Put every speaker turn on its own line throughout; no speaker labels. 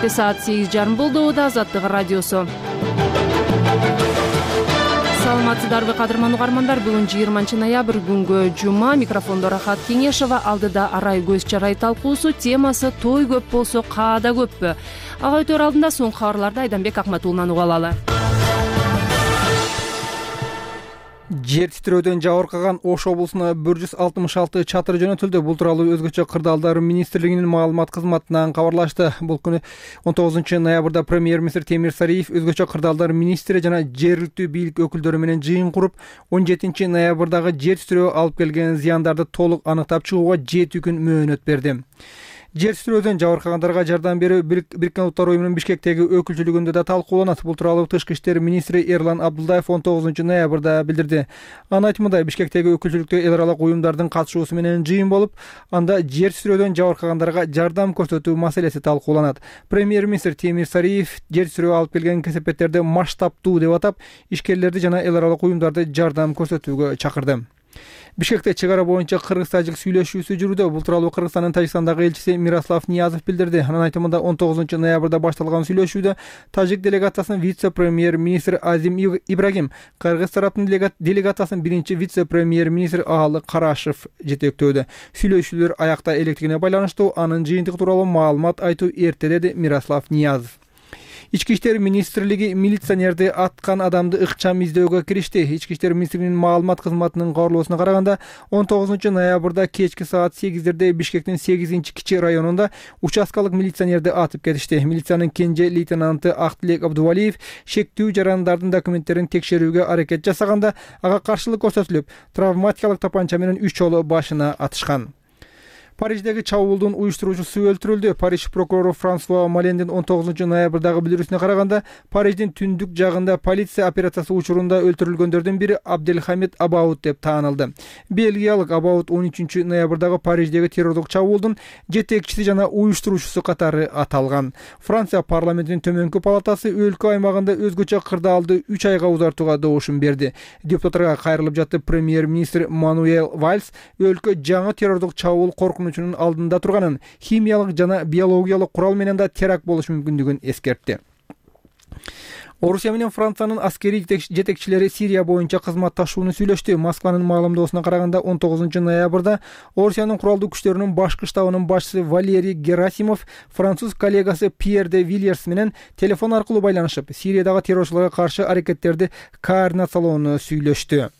Кечте саат 8:30 болду. Азаттык радиосу. Саламатсыздарбы кадырман угармандар? Бүгүн 20 ноябрь күнгө жума. Микрофондо Рахат Кеңешова, алдыда арай көз чарай талкуусу. Темасы той көп болсо каада көппү? Ага өтөр алдында соңку кабарларды Айданбек Акматуллунан уга алалы.
Жер титирөөдөн жабыркаган Ош облусуна 166 чатыр жөнөтүлдү. Бул тууралуу Өзгөчө кырдаалдар министрлигинин маалымат кызматынан кабарлашты. Бул күнү 19 ноябрда премьер-министр Темир Сариев өзгөчө кырдаалдар министри жана жергиликтүү бийлик өкүлдөрү менен жыйын куруп, 17 ноябрдагы жер титирөө алып келген зыяндарды толук аныктап чыгууга 7 күн мөөнөт берди. Жер титирөөдөн жабыркагандарга жардам берүү Бириккен Улуттар уюмунун Бишкектеги өкүлчүлүгүндө да талкууланат. Бул тууралуу Тышкы иштер министри Эрлан Абдулдаев 19 ноябрда билдирди. Анын айтымында Бишкектеги өкүлчүлүктө эл аралык уюмдардын катышуусу менен жыйын болуп, анда жер титирөөдөн жабыркагандарга жардам көрсөтүү маселеси талкууланат. Премьер-министр Темир Сариев жер титирөө алып келген кесепеттерди масштабтуу деп атап, ишкерлерди жана эл аралык уюмдарды жардам көрсөтүүгө чакырды. Бишкекте чек ара боюнча кыргыз-тажик сүйлөшүүсү жүрүүдө. Бул тууралуу Кыргызстандын Тажикстандагы элчиси Мирослав Ниязов билдирди. Анын айтымында 19 ноябрда башталган сүйлөшүүдө тажик делегациясынын вице-премьер-министри Азим Ибрагим, кыргыз тараптын делегациясынын биринчи вице-премьер-министри Аалы Карашев жетектөөдө. Сүйлөшүүлөр аякта электигине байланыштуу. Анын жыйынтыгы тууралуу маалымат айтуу эрте, деди Мирослав Ниязов. Ички иштер министрлиги милиционерди аткан адамды ыкчам издөөгө киришти. Ички иштер министрлигинин маалымат кызматынын кабарлоосуна караганда, 19 ноябрда кечки саат 8:00 Бишкектин 8-кичи районунда участкалык милиционерди атып кетишти. Милициянын кенже лейтенанты Актилек Абдувалиев шектүү жарандардын документтерин текшерүүгө аракет жасаганда, ага каршылык көрсөтүлүп, травматикалык тапанча менен 3 жолу башына атышкан. Париждеги чабуулдун уюштуруучусу өлтүрүлдү. Париж прокурору Франсуа Малендин 19 ноябрдагы билдирүүсүнө караганда, Париждин түндүк жагында полиция операциясы учурунда өлтүрүлгөндөрдүн бири Абделхамид Абаут деп таанылды. Бельгиялык Абаут 13 ноябрдагы Париждеги террордук чабуулдун жетекчиси жана уюштуруучусу катары аталган. Франция парламентинин төмөнкү палатасы өлкө аймагында өзгөчө кырдаалды 3 айга узартууга добушун берди. Депутаттарга кайрылып жатты. Премьер-министр Мануэл Вальс өлкө жаңы террордук чабуул коркунучунун алдында турганын, химиялык жана биологиялык курал менен да теракт болушу мүмкүндүгүн эскертти. Орусия менен Франциянын аскерий жетекчилери Сирия боюнча кызматташууну сүйлөштү. Москванын маалымдоосуна караганда, 19 ноябрда Орусиянын куралдуу күчтөрүнүн башкы штабынын башчысы Валерий Герасимов француз коллегасы Пьер де Вильерс менен телефон аркылуу байланышып, Сириядагы террорчуларга каршы аракеттерди координациялоону сүйлөштү.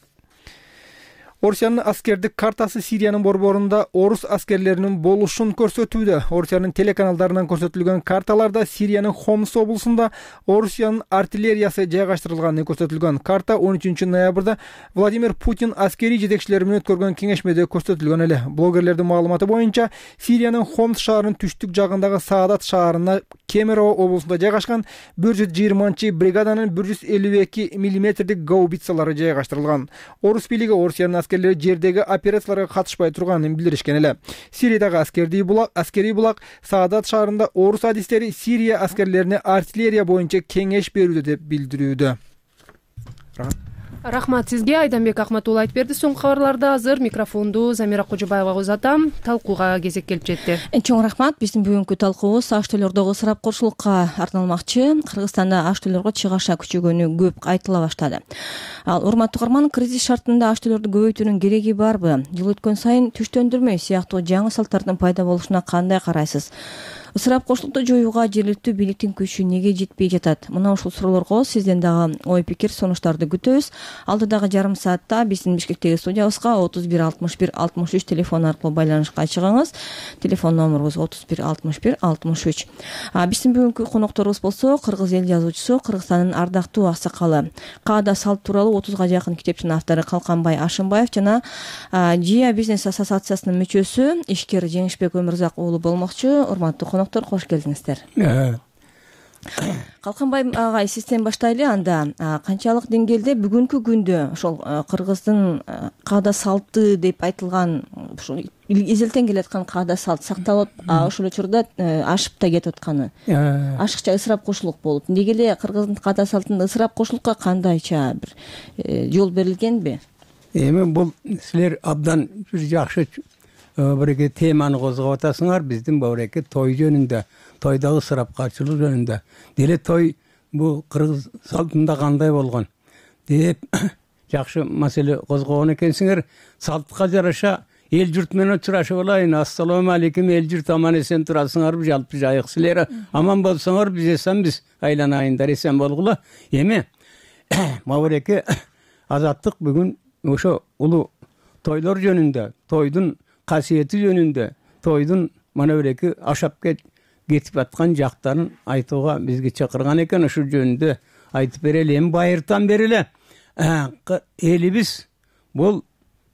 Орусиянын аскердик картасы Сириянын борборунда орус аскерлеринин болушун көрсөтүүдө. Орусиянын телеканалдарынан көрсөтүлгөн карталарда Сириянын Хомс облусунда Орусиянын артиллериясы жайгаштырылганы көрсөтүлгөн. Карта 13 ноябрда Владимир Путин аскерий жетекчилери менен өткөргөн кеңешмеде көрсөтүлгөн эле. Блогерлердин маалыматы боюнча, Сириянын Хомс шаарынын түштүк жагындагы Саадат шаарына Кемерово облусунда жайгашкан 120 бригаданын 152 мм гаубицалары жайгаштырылган. Орус бийлиги Орусиянын аскерлери жердеги операцияларга катышпай турганын билдиришкен эле. Сириядагы аскерий булак Саадат шаарында орус адистери Сирия аскерлерине артиллерия боюнча кеңеш берүүдө деп билдирүүдө.
Рахмат сизге. Айданбек Акматулла айтып берди. Соңку кабарларды азыр микрофонду Замира Кожобаевага узатам. Талкууга кезек келип жетти.
Чоң рахмат. Биздин бүгүнкү талкуубуз аш төлөрдөгү ысырапкорчулукка арналмакчы. Кыргызстанда аш төлөргө чыгаша күчөгөнү көп айтыла баштады. Ал урматтуу угарман, кризис шартында аш төлөрдү көбөйтүүнүн кереги барбы? Жыл өткөн сайын түштөндүрмө сыяктуу жаңы салттардын пайда болушуна кандай карайсыз? Ысырапкорчулукту жоюуга жергиликтүү бийликтин күчү неге жетпей жатат? Мына ушул суроолорго сизден дагы ой пикир, сунуштарды күтөбүз. Алдыдагы жарым саатта биздин Бишкектеги студиябызга 31 61 63 телефон аркылуу байланышка чыгыңыз. Телефон номерубуз 31 61 63. Биздин бүгүнкү конокторубуз болсо, кыргыз эл жазуучусу, Кыргызстандын ардактуу аксакалы, каада салт тууралуу 30га жакын китептин автору Калканбай Ашымбаев жана Жия бизнес ассоциациясынын мүчөсү ишкер Жеңишбек Өмүрзак уулу болмокчу. Урматтуу конокторлор, кош келдиңиздер. Калканбай агай, сизден баштайлы. Анда канчалык деңгээлде бүгүнкү күндө ошол кыргыздын каада салты деп айтылган ушул эзелтен келаткан каада салт сакталып, ошол учурда ашып да кетип атканы, ашыкча ысырапкорчулук болуп, неге эле кыргыздын каада салтында ысырапкорчулукка кандайча бир жол берилгенби?
Эми бул силер абдан бир жакшы бир теманы козгоп атасыңар. Биздин бабыреке той жөнүндө, тойдогу ысырапкарчылык жөнүндө. Деле той бул кыргыз салтында кандай болгон деп жакшы маселе козгогон экенсиңер. Салтка жараша эл журт менен учурашып алайын. Ассалому алейкум, эл журт аман эсен турасыңарбы, жалпы жайык силер аман болсоңор биз эсенбиз, айланайындар, эсен болгула. Эми мабыреке Азаттык бүгүн ошо улуу тойлор жөнүндө, тойдун касиети жөнүндө, тойдун мана биреки ашап кетип аткан жактарын айтууга бизге чакырган экен. Ошол жөнүндө айтып берели. Эми байыртан бери эле элибиз бул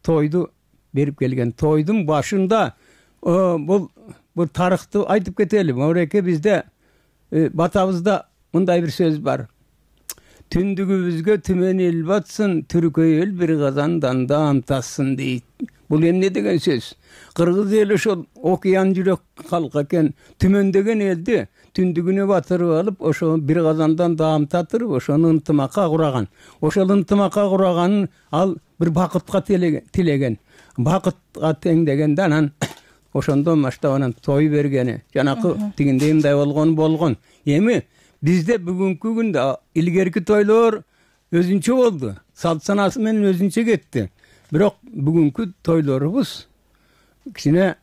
тойду берип келген. Тойдун башында бул тарыхты айтып кетели. Мабыреке бизде батабызда мындай бир сөз бар. Түндүгүбүзгө түмөн эл батсын, түркөй эл бир казандан даам тассын дейт. Бул эмне деген сөз? Кыргыз эли ошол окуян жүрөк калк экен. Түмөндөгөн элди түндүгүнө батырып алып, ошо бир казандан даам татырып, ошону ынтымакка кураган. Ошол ынтымакка кураганын ал бир бакытка тилеген. Бакытка теңдегенде анан ошондон баштап анан той бергени. Жанакы тигиндей мындай болгон. Эми бизде бүгүнкү күндө илгерки тойлор өзүнчө болду. Салт санасы менен өзүнчө кетти. Бирок бүгүнкү тойлорубуз кичине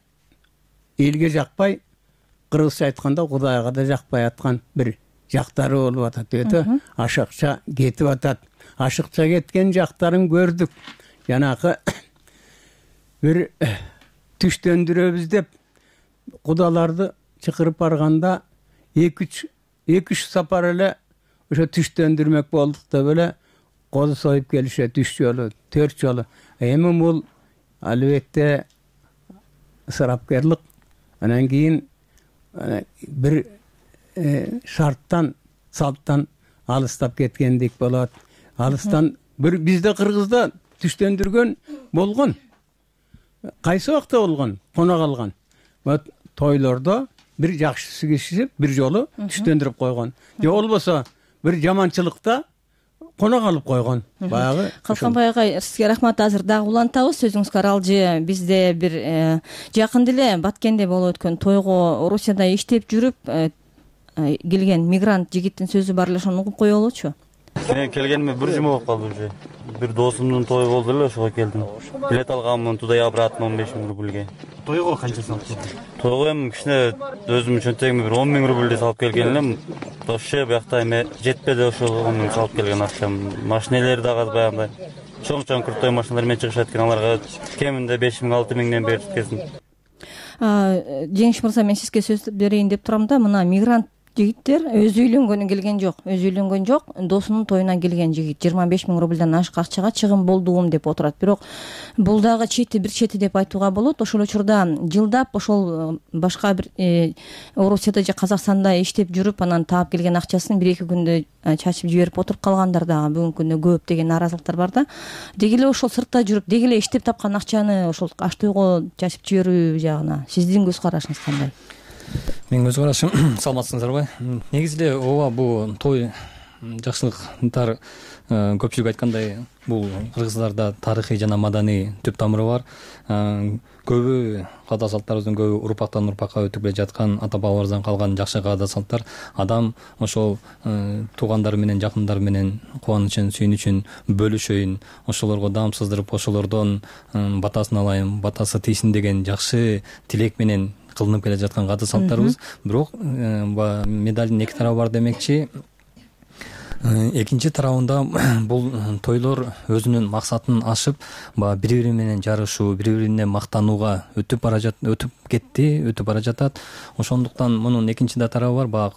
элге жакпай, кыргызча айтканда Кудайга да жакпай аткан бир жактары болуп атат. Өтө ашыкча кетип атат. Ашыкча кеткен жактарын көрдүк. Жанакы бир түштөндүрөбүз деп кудаларды чакырып барганда 2-3 сапар эле ошо түштөндүрмөк болдук деп эле козу союп келишет 3 жолу, 4 жолу. Эми бул албетте ысырапкерлык. Анан кийин бир шарттан, салттан алыстап кеткендик болот. Алыстан бир бизде Кыргызда түштөндүргөн болгон. Кайсы убакта болгон? Кона калган. Тойлордо бир жакшысы кишип бир жолу түштөндүрүп койгон. Же болбосо бир жаманчылыкта кона калып койгон. Баягы
Калканбай агай, сизге рахмат. Азыр дагы улантабыз сөзүңүзгө аралжы. Бизде бир жакын деле Баткенде болуп өткөн тойго Орусияда иштеп жүрүп келген мигрант жигиттин сөзү бар эле, ошону угуп коелучу.
Мен келгениме бир жума болуп калды уже. Бир досумдун тою болду эле, ошого келдим. Билет алганмын туда обратно 15 000 рубльге.
Тойго канча салып?
Тойго эми кичине өзүмдүн чөнтөгүмө бир 10 000 рубльди салып келген элем. Вообще буякта эми жетпеди ошол 10 000 салып келген акчам. Машинелер дагы баягындай чоң крутой машиналар менен чыгышат экен, аларга кеминде 5 000 6 000ден берип кеткен.
Жеңиш мырза, мен сизге сөз берейин деп турам да, мына мигрант жигиттер өзү үйлөнгөнү келген жок. Өзү үйлөнгөн жок, досунун тоюна келген жигит 25 000 рубльдан ашык акчага чыгым болдум деп отурат. Бирок бул дагы бир чети деп айтууга болот. Ошол учурда жылдап ошол башка бир Орусияда же Казакстанда иштеп жүрүп, анан таап келген акчасын 1-2 күндө чачып жиберип отуруп калгандар дагы бүгүнкү күндө көп деген нааразылыктар бар да. Деги эле ошол сыртта жүрүп, деги эле иштеп тапкан акчаны ошол аш тойго чачып жиберүү жагына сиздин көз карашыңыз кандай?
Менин көз карашым, саламатсыңыздарбы? Негизи эле ооба, бул той жакшылыктар көпчүлүк айткандай, бул кыргыздарда тарыхый жана маданий түп тамыры бар. Көбү каада салттарыбыздын көбү урпактан урпакка өтүп келе жаткан, ата бабаларыбыздан калган жакшы каада салттар. Адам ошол туугандары менен, жакындары менен кубанычын, сүйүнүчүн бөлүшөйүн, ошолорго даам сыздырып, ошолордон батасын алайын, батасы тийсин деген жакшы тилек менен кылынып келе жаткан каада салттарыбыз. Бирок медалдын эки тарабы бар демекчи. Экинчи тарабында бул тойлор өзүнүн максатын ашып, бири-бири менен жарышуу, бири-бирине мактанууга өтүп бара жатат. Ошондуктан мунун экинчи да тарабы бар.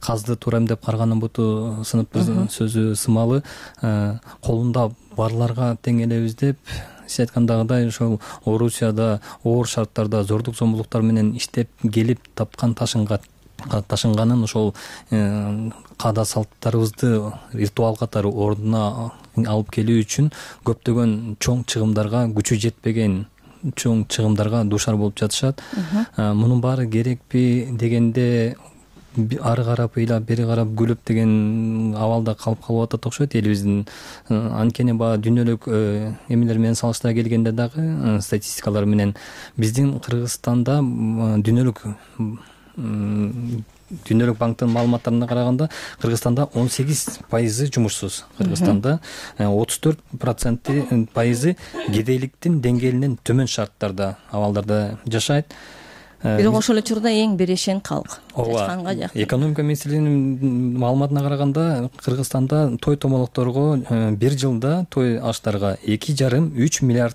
Казды туура эмдеп карганын буту сынып сөзү сымалы. Колунда барларга тең элебиз деп, сиз айткандагыдай ошол Орусияда оор шарттарда зордук зомбулуктар менен иштеп келип тапкан ташынганын ошол каада салттарыбызды ритуал катары ордуна алып келүү үчүн көптөгөн чоң чыгымдарга, күчү жетпеген чоң чыгымдарга дуушар болуп жатышат. Мунун баары керекпи дегенде ары карап ыйлап бери карап күлүп деген абалда калып атат окшойт элибиздин. Анткени баягы дүйнөлүк эмелер менен салыштыра келгенде дагы статистикалар менен биздин Кыргызстанда Дүйнөлүк банктын маалыматтарына караганда Кыргызстанда 18% жумушсуз. Кыргызстанда 34% кедейликтин деңгээлинен төмөн шарттарда, абалдарда жашайт.
Бирок ошол эле учурда эң берешен калк.
Ооба. Экономика министрлигинин маалыматына караганда Кыргызстанда той томолокторго бир жылда той аштарга 2,5-3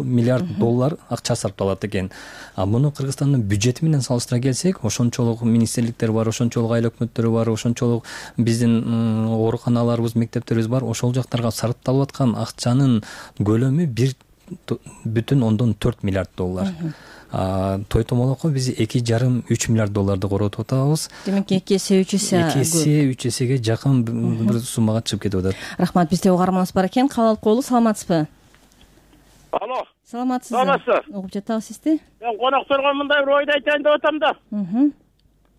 миллиард доллар акча сарпталат экен. Муну Кыргызстандын бюджети менен салыштыра келсек, ошончолук министрликтер бар, ошончолук айыл өкмөттөрү бар, ошончолук биздин ооруканаларыбыз, мектептерибиз бар. Ошол жактарга сарпталып аткан акчанын көлөмү 1,4 миллиард доллар. Той томолокко биз 2,5-3 миллиард долларды коротуп атабыз.
Демек 2 эсе 3 эсе
2 эсеге жакын бир суммага чыгып кетип атат.
Рахмат. Бизде угарманыбыз бар экен. Кабыл алып коелу. Саламатсызбы?
Алло.
Саламатсызбы? Угуп жатабыз сизди.
Мен конокторго мындай бир ойду айтайын деп атам да.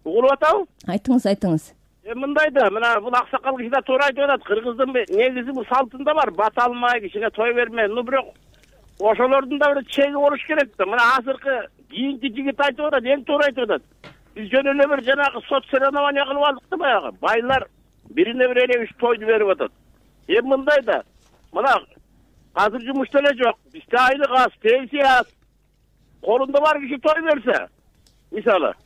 Угулуп атабы?
Айтыңыз.
Мындай да, мына бул аксакал киши да туура айтып атат. Кыргыздын негизи бул салтында бар, бата алмай, кишиге той берме. Бирок ошолордун да бир чеги болуш керек да. Мына азыркы кийинки жигит айтып атат, эң туура айтып атат. Биз жөн эле бир жанагы соцсоревнование кылып алдык да баягы. Байлар бирине бир эле 3 тойду берип атат. Мындай да. Мына азыр жумушта эле жок. Бизде айлык аз, пенсия аз. Колунда бар киши той берсе, мисалы,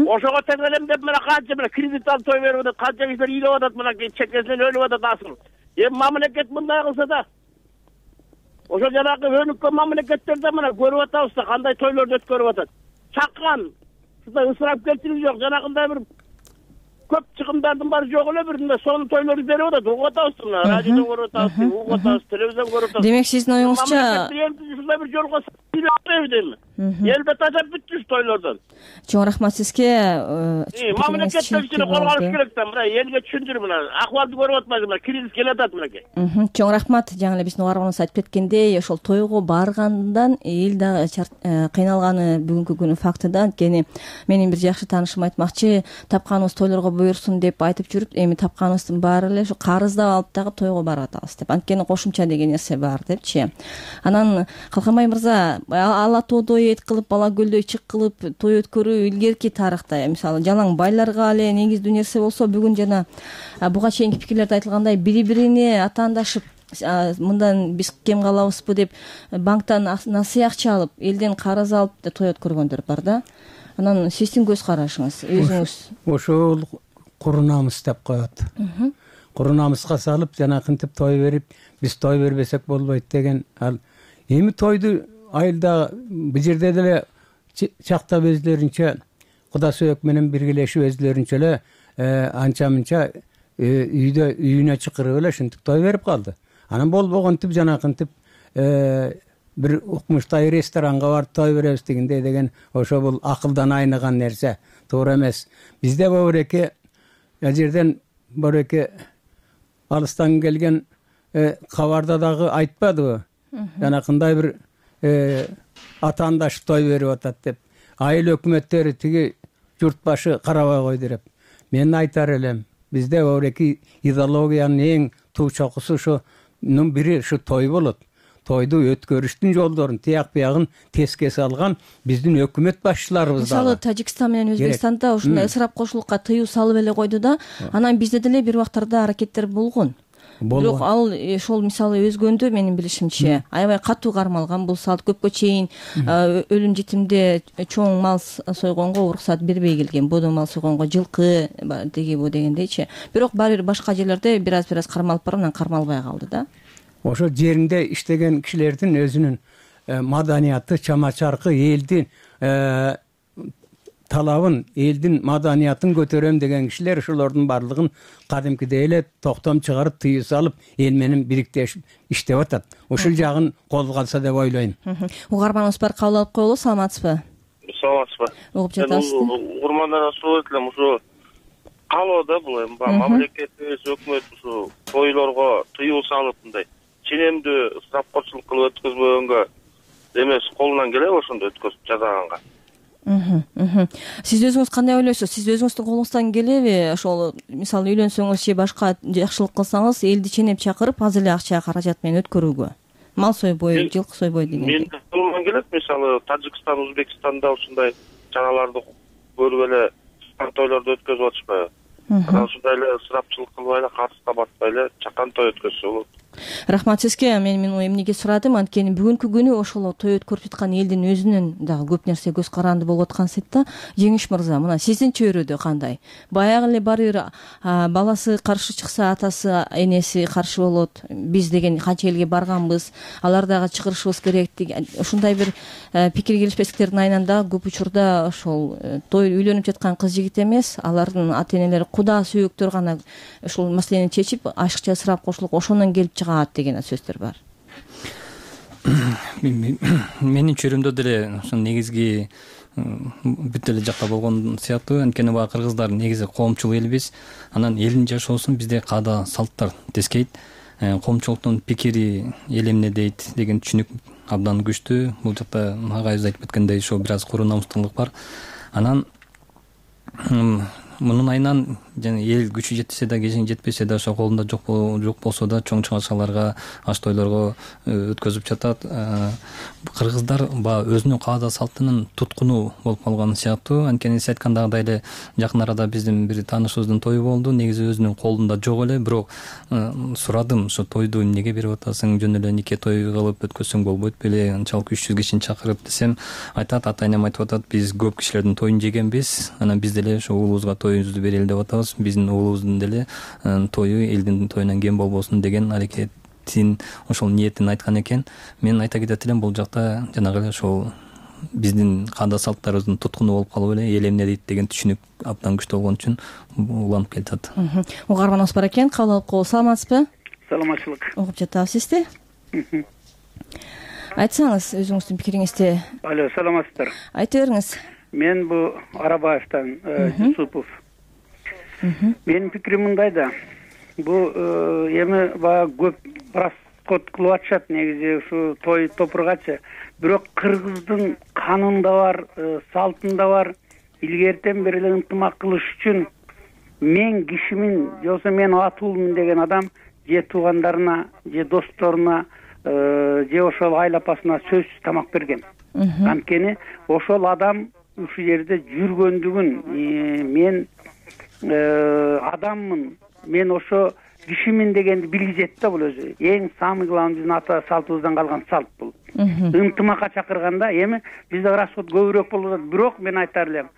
ошого тең элем деп мына канча мына кредит алып той берип атат, канча кишилер ыйлап атат, мына чекесинен өлүп атат асыл. Мамлекет мындай кылса да, ошо жанагы өнүккөн мамлекеттерде мына көрүп атабыз да кандай тойлорду өткөрүп атат. Чаккан, ысырапкерчилик жок, жанагындай бир көп чыгымдардын баары жок эле бир сонун тойлорду берип атат. Угуп атабыз мына радиодон көрүп атабыз, угуп атабыз, телевизион көрүп атабыз.
Демек сиздин оюңузча
ушундай бир жолго дейм. Элбет ажап бүттү тойлордон.
Чоң рахмат сизге.
Мамлекеттер кичине кол алыш керек да, мына элге түшүндүр, мына акыбалды көрүп атпайбы, мына кризис келе атат мынакей.
Чоң рахмат. Жаңы эле биздин угарманыбыз айтып кеткендей, ошол тойго баргандан эл дагы кыйналганы бүгүнкү күнү факты да. Анткени менин бир жакшы таанышым айтмакчы, тапканыбыз тойлорго буйрсун деп айтып жүрүп, эми тапканыбыздын баары эле ушу карыздап алып дагы тойго барып атабыз деп. Анткени кошумча деген нерсе бар депчи. Анан Калканбай мырза, ала тоодой эт кылып, бала көлдөй чык кылып той өткөрүү илгерки тарыхта, мисалы, жалаң байларга эле негиздүү нерсе болсо, бүгүн жана буга чейинки пикирлерде айтылгандай бири-бирине атаандашып, мындан биз кем калабызбы деп банктан насыя акча алып, элден карыз алып той өткөргөндөр бар да. Анан сиздин көз карашыңыз, өзүңүз.
Ошол куру намыс деп коет. Куру намыска салып, жанакынтип той берип, биз той бербесек болбойт деген. Ал эми тойду айылда бул жерде деле чактап өзлөрүнчө Куда сөөк менен биргелешип өзлөрүнчө эле анча-мынча үйүнө чакырып эле ушинтип той берип калды. Анан болбогонтип жанакынтип бир укмуштай ресторанга барып той беребиз дегендей деген ошо бул акылдан айныган нерсе, туура эмес. Бизде бобуреке жерден бобуреке алыстан келген кабарда дагы айтпадыбы? Жанакындай бир атаандашып той берип атат деп. Айыл өкмөттөрү тиги журт башы карабай койду деп. Мен айтар элем, бизде бобуреке идеологиянын эң туу чокусу ушунун бири ушу той болот. Тойду өткөрүштүн жолдорун, тияк биягын теске салган биздин өкмөт башчыларыбыз да.
Мисалы, Тажикстан менен Өзбекстанда ушундай ысырап кошулукка тыюу салып эле койду да. Анан бизде деле бир убактарда аракеттер болгон. Бирок ал ошол мисалы өзгөндө менин билишимче аябай катуу кармалган бул салт. Көпкө чейин өлүм житимде чоң мал сойгонго уруксат бербей келген. Бодо мал сойгонго жылкы деги бу дегендейчи. Бирок баары бир башка жерлерде бир аз кармалып барып, анан кармалбай калды да.
Ошо жеринде иштеген кишилердин өзүнүн маданияты, чама-чаркы, элдин талабын, элдин маданиятын көтөрөм деген кишилер ошолордун баардыгын кадимкидей эле токтом чыгарып, тыюу салып, эл менен бириктешип иштеп атат. Ушул жагын колго алса деп ойлойм.
Угарманыбыз бар, кабыл алып коелу. Саламатсызбы?
Саламатсызбы?
Угуп жатасызбы?
Урмандарга суроо этилем, ушу калоодо бул эми мамлекетибиз, өкмөт ушу тойлорго тыюу салып мындай ченемдүү ысырапкорчулук кылып өткөзбөгөнгө эмес, колунан келеби ошондо өткөзүп жасаганга?
Сиз өзүңүз кандай ойлойсуз? Сиз өзүңүздүн колуңуздан келеби ошол мисалы үйлөнсөңүз же башка жакшылык кылсаңыз элди ченеп чакырып аз эле акча каражат менен өткөрүүгө, мал сойбой, жылкы сойбой дегендей?
Менин колумдан келет. Мисалы Тажикстан, Өзбекстанда ушундай чаналарды көрүп эле тойлорду өткөзүп атышпайбы? Анан ушундай эле ысырапчылык кылбай эле, катыс табатпай эле чакан той өткөзсө болот.
Рахмат сизге. Мен эмнеге сурадым, анткени бүгүнкү күнү ошол той өткөрүп жаткан элдин өзүнүн дагы көп нерсе көз каранды болуп аткан сет да. Жеңиш мырза, мына сиздин чөйрөдө кандай? Баягы эле баары бир баласы каршы чыкса, атасы, энеси каршы болот. Биз деген канча элге барганбыз, алар дагы чыгырышыбыз керек деген ушундай бир пикир келишпестиктердин айынан дагы көп учурда ошол той үйлөнүп жаткан кыз жигит эмес, алардын ата энелери куда сүйөктөр гана ушул маселени чечип, ашыкча ысырап кошулуп ошондон келип чыгат деген сөздөр бар.
Менин чөйрөмдө деле ошо негизги бүт эле жакта болгон сыяктуу. Анткени баягы кыргыздар негизи коомчул элбиз. Анан элдин жашоосун бизде каада салттар тескейт. Коомчулуктун пикири эл эмне дейт деген түшүнүк абдан күчтүү. Бул жакта агайыбыз айтып кеткендей ошо бир аз куру намустуулук бар. Анан мунун айынан жана эл күчү жетсе да, кежиң жетпесе да, ошо колунда жок болсо да чоң чыгарчаларга, аш тойлорго өткөзүп жатат. Кыргыздар баягы өзүнүн каада салтынын туткуну болуп калган сыяктуу. Анткени сиз айткандагыдай эле жакын арада биздин бир таанышыбыздын тою болду. Негизи өзүнүн колунда жок эле, бирок сурадым, ошо тойду эмнеге берип атасың, жөн эле нике той кылып өткөзсөң болбойт беле, анчалык 300 кишини чакырып десем, айтат, ата энем айтып атат, биз көп кишилердин тоюн жегенбиз, анан биз деле ошо уулубузга тоюбузду берели деп атабыз. Биздин уулубуздун деле тою элдин тоюнан кем болбосун деген аракетин, ошол ниетин айткан экен. Мен айта кетет элем, бул жакта жанагы эле ошол биздин каада салттарыбыздын туткуну болуп калып эле, эл эмне дейт деген түшүнүк абдан күчтүү болгон үчүн уланып келатат.
Угарманыбыз бар экен, кабыл алып коебуз. Саламатсызбы?
Саламатчылык.
Угуп жатабыз сизди. Айтсаңыз өзүңүздүн пикириңизди.
Алло, саламатсыздар.
Айта бериңиз.
Мен бу Арабаевтан Жусупов. Менин пикирим мындай да. Бу эми баягы көп расход кылып атышат негизи ушу той топургачы. Бирок кыргыздын канында бар, салтында бар, илгертен бери эле ынтымак кылыш үчүн мен кишимин, жоксо мен атуулмун деген адам же туугандарына, же досторуна, же ошол айла апасына сөзсүз тамак берген. Анткени ошол адам ушул жерде жүргөндүгүн, мен адаммын, мен ошо кишимин дегенди билгизет да. Бул өзү эң самый главный биздин ата салтыбыздан калган салт бул. Ынтымакка чакырганда эми бизде расход көбүрөөк болуп атат. Бирок мен айтар элем,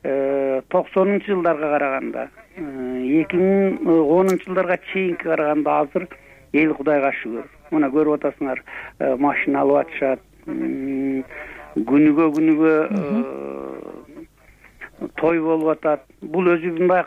90-жылдарга караганда, 2010-жылдарга чейинки караганда азыр эл Кудайга шүгүр. Мына көрүп атасыңар, машина алып атышат, күнүгө той болуп атат. Бул өзү мындай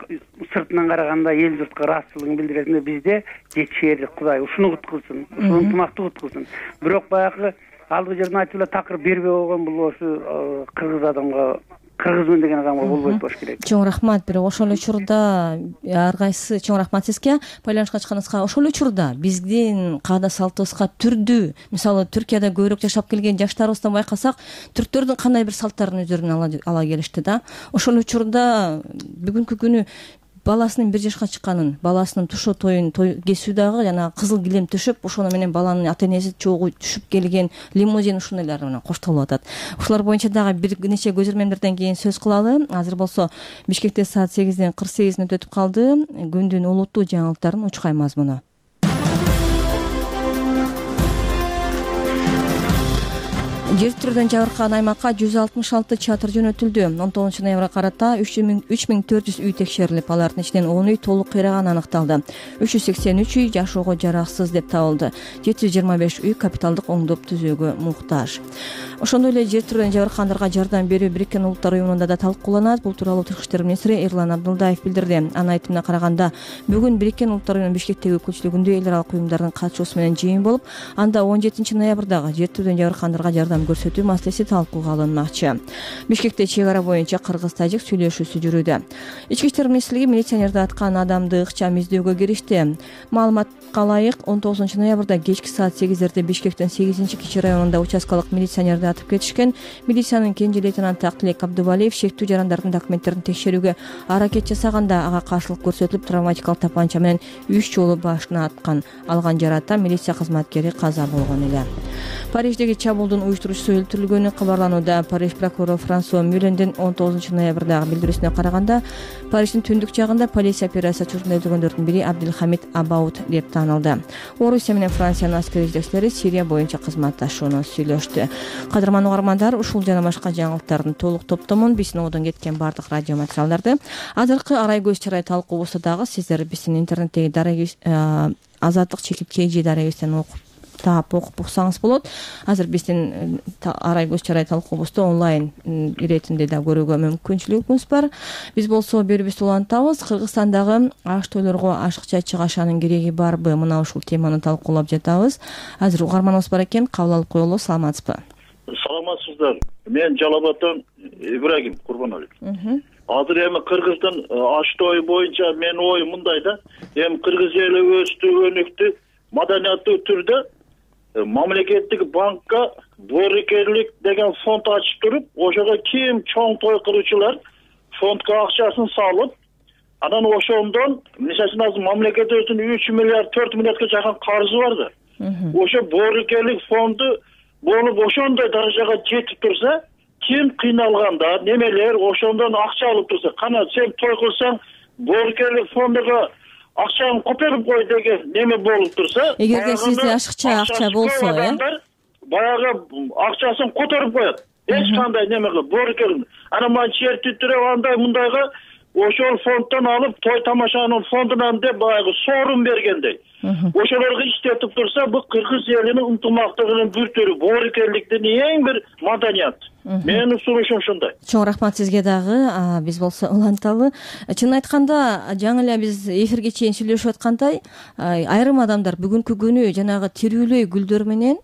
сыртынан караганда эл журтка ыраазычылыгын билдирет. Бизде жетишери Кудай ушуну куткузсын, ушул ынтымакты куткузсын. Бирок баягы алгы жерден айтып эле такыр бербей койгон бул ошо кыргыз адамга, кыргызмын деген адамга болбойт болуш керек.
Чоң рахмат. Бирок ошол эле учурда ар кайсы чоң рахмат сизге байланышка чыкканыңызга. Ошол эле учурда биздин каада салтыбызга түрдүү, мисалы Түркияда көбүрөөк жашап келген жаштарыбыздан байкасак, түрктөрдүн кандай бир салттарын өздөрүнө ала келишти да. Ошол учурда бүгүнкү күнү баласынын 1 жашка чыкканын, баласынын тушоо тоюн кесүү дагы жана кызыл килем төшөп, ошону менен баланын ата энеси чогуу түшүп келген лимузин ушундайлар менен коштолуп атат. Ушулар боюнча дагы бир нече көзөрмөмдөрдөн кийин сөз кылалы. Азыр болсо Бишкекте саат 8:48 өтүп калды. Күндүн улуттуу жаңылыктарын учкай мазмуну. Жер титирөөдөн жабыркаган аймакка 166 чатыр жөнөтүлдү. 19-ноябрга карата 3400 үй текшерилип, алардын ичинен 10 үй толук кыйраганы аныкталды. 383 үй жашоого жараксыз деп табылды. 725 үй капиталдык оңдоп түзөөгө муктаж. Ошондой эле жер титирөөдөн жабыркагандарга жардам берүү Бириккен Улуттар уюмунда да талкууланат. Бул тууралуу Тышкы иштер министри Эрлан Абдулдаев билдирди. Анын айтымына караганда, бүгүн Бириккен Улуттар уюмунун Бишкектеги өкүлчүлүгүндө эл аралык уюмдардын катышуусу менен жыйын болуп, анда 17 ноябрдагы жер титирөөдөн жабыркагандарга жардам жардам көрсөтүү маселеси талкууга алынмакчы. Бишкекте чек ара боюнча кыргыз-тажик сүйлөшүүсү жүрүүдө. Ички иштер министрлиги милиционерди аткан адамды ыкчам издөөгө киришти. Маалыматка ылайык 19 ноябрда кечки саат 8-дерде Бишкектин 8-кичи районунда участкалык милиционерди атып кетишкен. Милициянын кенже лейтенанты Актилек Абдубалиев шектүү жарандардын документтерин текшерүүгө аракет жасаганда ага каршылык көрсөтүлүп, травматикалык тапанча менен 3 жолу башына аткан. Алган жарааттан милиция кызматкери каза болгон эле. Париждеги чабуулдун уюштуруучусу өлтүрүлгөнү кабарланууда. Париж прокурору Франсуа Мюллендин 19 ноябрдагы билдирүүсүнө караганда, Париждин түндүк жагында полиция операция учурунда өлтүргөндөрдүн бири Абдулхамид Абаут деп таанылды. Орусия менен Франциянын аскери жетекчилери Сирия боюнча кызматташууну сүйлөштү. Кадырман угармандар, ушул жана башка жаңылыктардын толук топтомун биздин одон кеткен бардык радио материалдарды азыркы арай көз чарай талкуубузда дагы сиздер биздин интернеттеги Азаттык /KG дарегибизден окуп уксаңыз болот. Азыр биздин арай көз чарай талкуубузду онлайн иретинде да көрүүгө мүмкүнчүлүгүңүз бар. Биз болсо берүүбүздү улантабыз. Кыргызстандагы аш тойлорго ашыкча чыгашанын кереги барбы? Мына ушул теманы талкуулап жатабыз. Азыр угарманыбыз бар экен, кабыл алып коелу. Саламатсызбы?
Саламатсыздар. Мен Жалал Абадтан Ибрагим Курбаналиев. Азыр эми Кыргыздын аш тою боюнча менин оюм мындай да. Эми Кыргыз эли өстүгөнүктү маданияттуу түрдө мамлекеттик банкка боорукерлик деген фонд ачып туруп, ошого ким чоң той кылуучулар фондко акчасын салып, анан ошондон мисалы үчүн азыр мамлекетибиздин 3 миллиард 4 миллиардга жакын карызы бар да. Ошо боорукерлик фонду болуп ошондой даражага жетип турса, ким кыйналганда, немелер ошондон акча алып турса, кана сен той кылсаң боорукерлик фондуга акчаны коперип кой деген неме болуп турса,
эгерде сизде ашыкча акча болсо,
баягы акчасын которуп коет. Эч кандай неме кылып, боорукерлик. Анан мына чертиттирип андай мындайга ошол фонддон алып, той тамашанын фондунан деп баягы соорун бергендей. Ошолорго иштетип турса, бул кыргыз элинин ынтымактыгынын бир түрү, боорукерликтин эң бир маданият. Менин сунушум ушундай.
Чоң рахмат сизге дагы. Биз болсо уланталы. Чынын айтканда, жаңы эле биз эфирге чейин сүйлөшүп аткандай, айрым адамдар бүгүнкү күнү жанагы тирүүлөй гүлдөр менен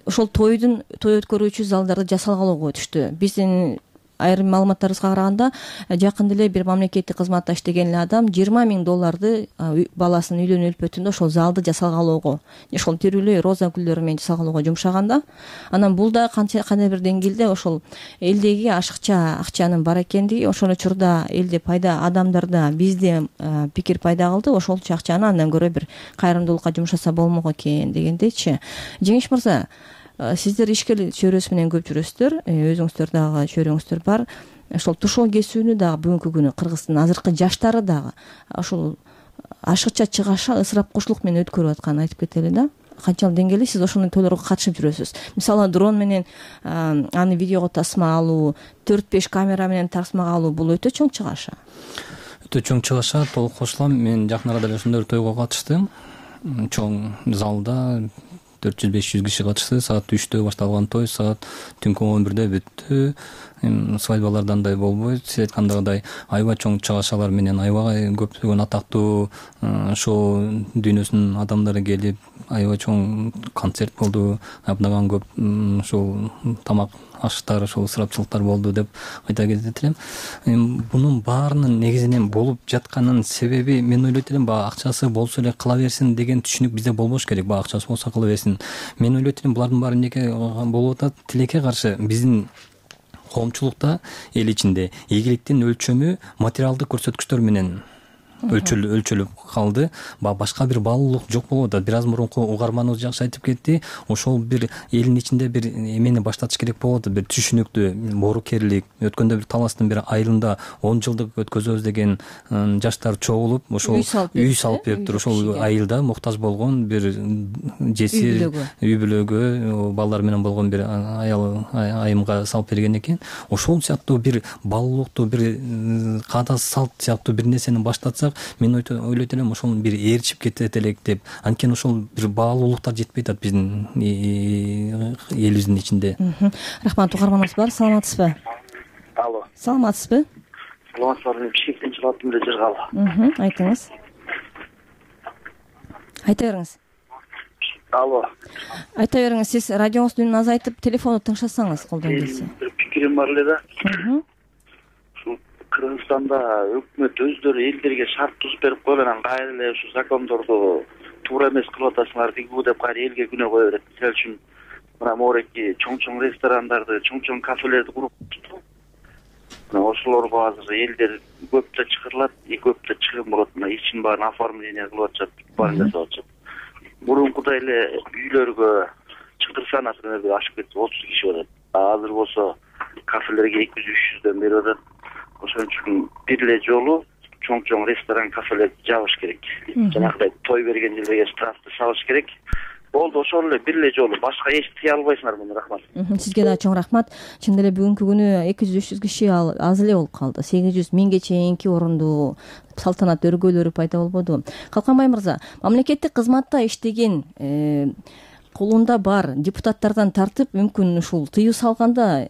ошол той өткөрүүчү залдарды жасалгалоого өтүштү. Биздин айрым маалыматтарыбызга караганда, жакында эле бир мамлекеттик кызматта иштеген эле адам $20,000 баласынын үйлөнүү үлпөтүндө ошол залды жасалгалоого, ошол тирүүлөй роза гүлдөрү менен жасалгалоого жумшаганда, анан бул да кандай бир деңгээлде ошол элдеги ашыкча акчанын бар экендиги, ошол учурда элде пайда, адамдарда, бизде пикир пайда кылды, ошолчу акчаны андан көрө бир кайрымдуулукка жумшаса болмок экен дегендейчи. Жеңиш мырза, сиздер ишкер чөйрөсү менен көп жүрөсүздөр, өзүңүздөр дагы чөйрөңүздөр бар. Ошол тушоо кесүүнү дагы бүгүнкү күнү Кыргыздын азыркы жаштары дагы ошол ашыкча чыгаша, ысырапкучулук менен өткөрүп атканын айтып кетели да. Канчалык деңгээлде сиз ошондой тойлорго катышып жүрөсүз? Мисалы дрон менен аны видеого тасма алуу, 4-5 камера менен тасмага алуу бул өтө чоң чыгаша.
Өтө чоң чыгаша, толук кошулам. Мен жакын арада эле ошондой тойго катыштым. Чоң залда 400-500 киши катышты. Саат 3-тө башталган той саат түнкү 11-де бүттү. Свадьбаларда андай болбойт. Сиз айткандагыдай аябай чоң чыгашалар менен аябай көптөгөн атактуу шоу дүйнөсүнүн адамдары келип, аябай чоң концерт болду. Абнаган көп ушул тамак аштар, ошол ысырапчылыктар болду деп айта кетет элем. Бунун баарынын негизинен болуп жатканын себеби мен ойлойт элем, баягы акчасы болсо эле кыла берсин деген түшүнүк бизде болбош керек. Баягы акчасы болсо кыла берсин. Мен ойлойт элем, булардын баары эмнеге болуп атат? Тилекке каршы биздин коомчулукта, эл ичинде ийгиликтин өлчөмү материалдык көрсөткүчтөр менен өлчөлүп калды. Башка бир баалуулук жок болуп атат. Бир аз мурунку угарманыбыз жакшы айтып кетти. Ошол бир элдин ичинде бир эмени баштатыш керек болот, бир түшүнүктүү боорукерлик. Өткөндө бир Таластын бир айылында 10 жылдык өткөзөбүз деген жаштар чогулуп, ошол үй салып бериптир. Ошол айылда муктаж болгон бир жесир үй бүлөгө балдар менен болгон бир аял айымга салып берген экен. Ошол сыяктуу бир баалуулукту, бир каада салт сыяктуу бир нерсени баштатсак, мен ойлойт элем, ошол бир ээрчип кетет элек деп. Анткени ошол бир баалуулуктар жетпей атат биздин элибиздин ичинде.
Рахмат, угарманыбыз бар. Саламатсызбы?
Алло.
Саламатсызбы?
Саламатсызбы. Бишкектен чыгаттым эле Жыргалы.
Айтыңыз. Айта бериңиз.
Алло.
Айта бериңиз, сиз радионуздун үнүн азайтып телефонду тыңшасаңыз колдон келсе.
Бир пикирим бар эле да. Ушул Кыргызстанда өкмөт өздөрү элдерге шарт тузуп берип койгон, анан кайра эле ушу закондорду туура эмес кылып атасыңар дейбу деп кайра элге күнөө кое берет. Мисалы үчүн мына могуреки чоң ресторандарды, чоң кафелерди куруп туруп, мына ошолорго азыр элдер көптө чакырылат, көптө чыгым болот. Мына ичин баарын оформление кылып атышат, баарын жасап атышат. Мурункудай эле үйлөргө чыгдырса, например, ашып кетсе 30 киши барат. Азыр болсо кафелерге 200-300дөн берип атат. Ошон үчүн бир эле жолу чоң ресторан, кафелерди жабыш керек. Жанагыдай той берген жерге штрафты салыш керек. Болду, ошол эле бир эле жолу, башка эч тыя албайсыңар муну. Рахмат.
Сизге да чоң рахмат. Чын эле бүгүнкү күнү 200-300 киши аз эле болуп калды. 800-1000ге чейинки орундуу салтанат өргөөлөрү пайда болбоду. Калканбай мырза, мамлекеттик кызматта иштеген колунда бар депутаттардан тартып, мүмкүн ушул тыюу салганда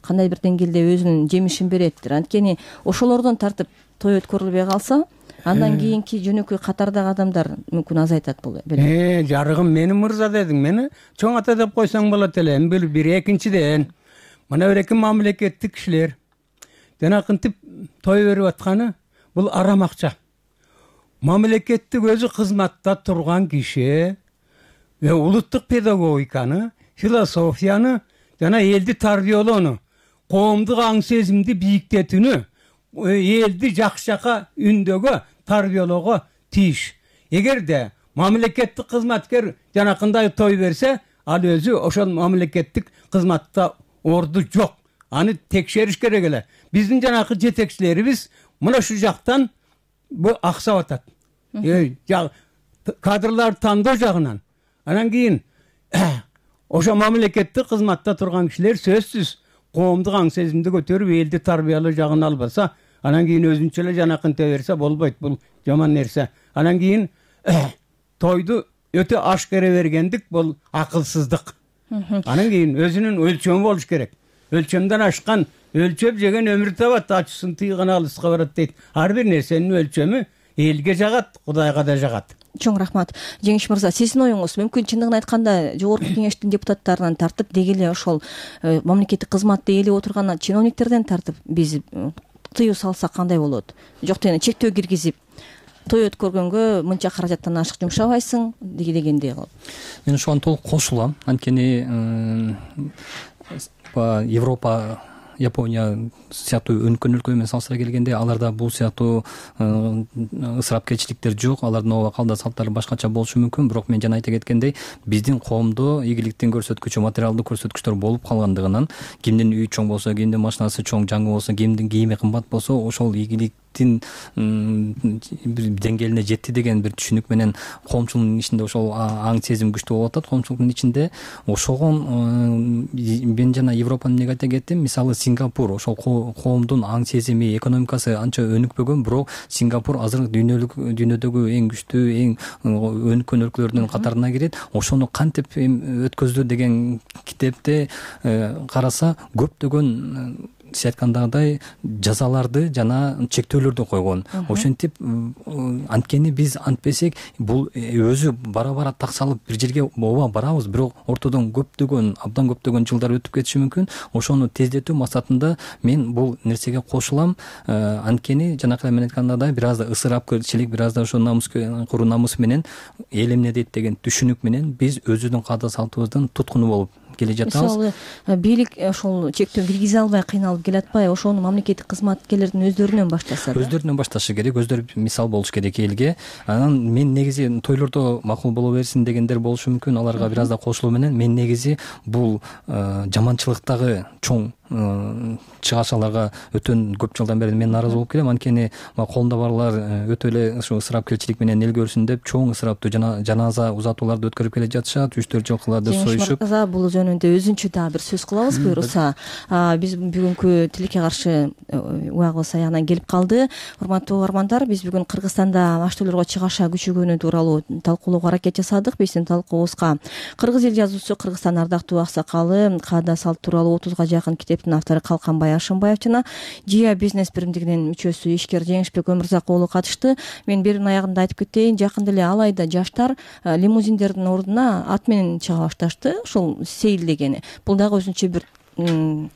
кандай бир деңгээлде өзүнүн жемишин береттир. Анткени ошолордон тартып той өткөрүлбөй калса, андан кийинки жөнөкөй катардагы адамдар мүмкүн азайтат болот.
Жарыгым, мени мырза дедиң, мени чоң ата деп койсоң болот эле. Бир экинчиден мына бир мамлекеттик кишилер жанакынтип той берип атканы бул арам акча. Мамлекеттик өзү кызматта турган киши улуттук педагогиканы, философияны, жана элди тарбиялоону, коомдук аң сезимди бийиктетүүнү, элди жакшы жака үндөгө тарбиялоого тийиш. Эгерде мамлекеттик кызматкер жанакындай той берсе, ал өзү ошол мамлекеттик кызматта орду жок. Аны текшериш керек эле. Биздин жанакы жетекчилерибиз мына ушу жактан бу аксап атат. Кадрлар тандоо жагынан. Анан кийин ошо мамлекеттик кызматта турган кишилер сөзсүз коомдук аң сезимди көтөрүп, элди тарбиялоо жагын албаса, анан кийин өзүнчө эле жанакынтө берсе болбойт. Бул жаман нерсе. Анан кийин тойду өтө ашкере бергендик бул акылсыздык. Анан кийин өзүнүн өлчөмү болуш керек. Өлчөмдөн ашкан өлчөп жеген өмүр табат, ачысын тыйган алыска барат дейт. Ар бир нерсенин өлчөмү элге жагат, Кудайга да жагат.
Чоң рахмат. Жеңиш мырза, сиздин оюңуз мүмкүн чындыгын айтканда жогорку кеңештин депутаттарынан тартып, деги эле ошол мамлекеттик кызматты ээлеп отурган чиновниктерден тартып биз тыюу салсак кандай болот? Жок дегенде чектөө киргизип, той өткөргөнгө мынча каражаттан ашык жумшабайсың дегендей кылып.
Мен ошого толук кошулам. Анткени Европа, Япония сыяктуу өнүккөн өлкө менен салыштыра келгенде аларда бул сыяктуу ысырапкерчиликтер жок. Алардын ооба калда салттары башкача болушу мүмкүн. Бирок мен жана айта кеткендей, биздин коомдо ийгиликтин көрсөткүчү, материалдык көрсөткүчтөр болуп калгандыгынан, кимдин үйү чоң болсо, кимдин машинасы чоң, жаңы болсо, кимдин кийими кымбат болсо, ошол ийгилик бир деңгээлине жетти деген бир түшүнүк менен коомчулуктун ичинде ошол аң сезим күчтүү болуп атат. Коомчулуктун ичинде ошого мен жана Европаны эмнеге айта кеттим? Мисалы Сингапур, ошол коомдун аң сезими, экономикасы анча өнүкпөгөн, бирок Сингапур азыр дүйнөдөгү эң күчтүү, эң өнүккөн өлкөлөрдүн катарына кирет. Ошону кантип өткөздү деген китепте караса, көптөгөн сиз айткандагыдай жазаларды жана чектөөлөрдү койгон. Ошентип анткени биз антпесек, бул өзү бара таксалып бир жерге ооба барабыз, бирок ортодон абдан көптөгөн жылдар өтүп кетиши мүмкүн. Ошону тездетүү максатында мен бул нерсеге кошулам. Анткени жанакы мен айткандагыдай бир аз да ысырапкерчилик, бир аз да ошо куру намыс менен эл эмне дейт деген түшүнүк менен биз өзүбүздүн каада салтыбыздан туткуну болуп келе жатабыз.
Мисалы, бийлик ошол чектөө киргизе албай кыйналып келатпайбы? Ошону мамлекеттик кызматкерлердин өздөрүнөн баштаса. Өздөрүнөн
башташы керек, өздөрү мисал болуш керек элге. Анан мен негизи тойлордо макул боло берсин дегендер болушу мүмкүн. Аларга бир аз да кошулуу менен мен негизи бул жаманчылыктагы чоң чыгашаларга өтө көп жылдан бери мен нааразы болуп келем. Анткени колунда барлар өтө эле ушу ысырапкерчилик менен эл көрсүн деп чоң ысыраптуу жаназа узатууларды өткөрүп келе жатышат. 3-4 жылкыларды союшуп.
Бул жөнүндө өзүнчө дагы бир сөз кылабыз, буюрса. Биз бүгүнкү тилекке каршы убагыбыз аягына келип калды. Урматтуу угармандар, биз бүгүн Кыргызстанда аштөөлөргө чыгаша күчөгөнү тууралуу талкуулоого аракет жасадык. Биздин талкуубузга кыргыз эл жазуучусу, Кыргызстандын ардактуу аксакалы, каада салт тууралуу 30га жакын китеп китептин автору Калканбай Ашымбаев жана Жия бизнес биримдигинин мүчөсү ишкер Жеңишбек Өмүрзак уулу катышты. Мен берүүнүн аягында айтып кетейин, жакында эле алайда жаштар лимузиндердин ордуна ат менен чыга башташты, ушул сейилдегени. Бул дагы өзүнчө бир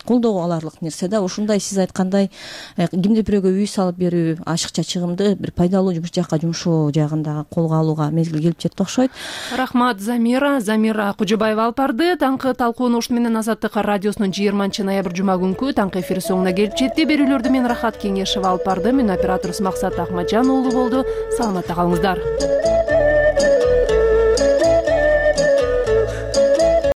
колдоо аларлык нерсе да. Ушундай сиз айткандай кимде бирөөгө үй салып берүү, ашыкча чыгымды бир пайдалуу жумуш жакка жумшоо жагында колго алууга мезгил келип жетти окшойт.
Рахмат Замира Кужубаева алып барды. Таңкы талкууну ушуну менен Азаттык радиосунун 20-ноябрь жума күнкү таңкы эфири соңуна келип жетти. Берүүлөрдү мен Рахат Кеңешева алып бардым. Мен операторубуз Максат Ахмаджан уулу болду. Саламатта калыңыздар.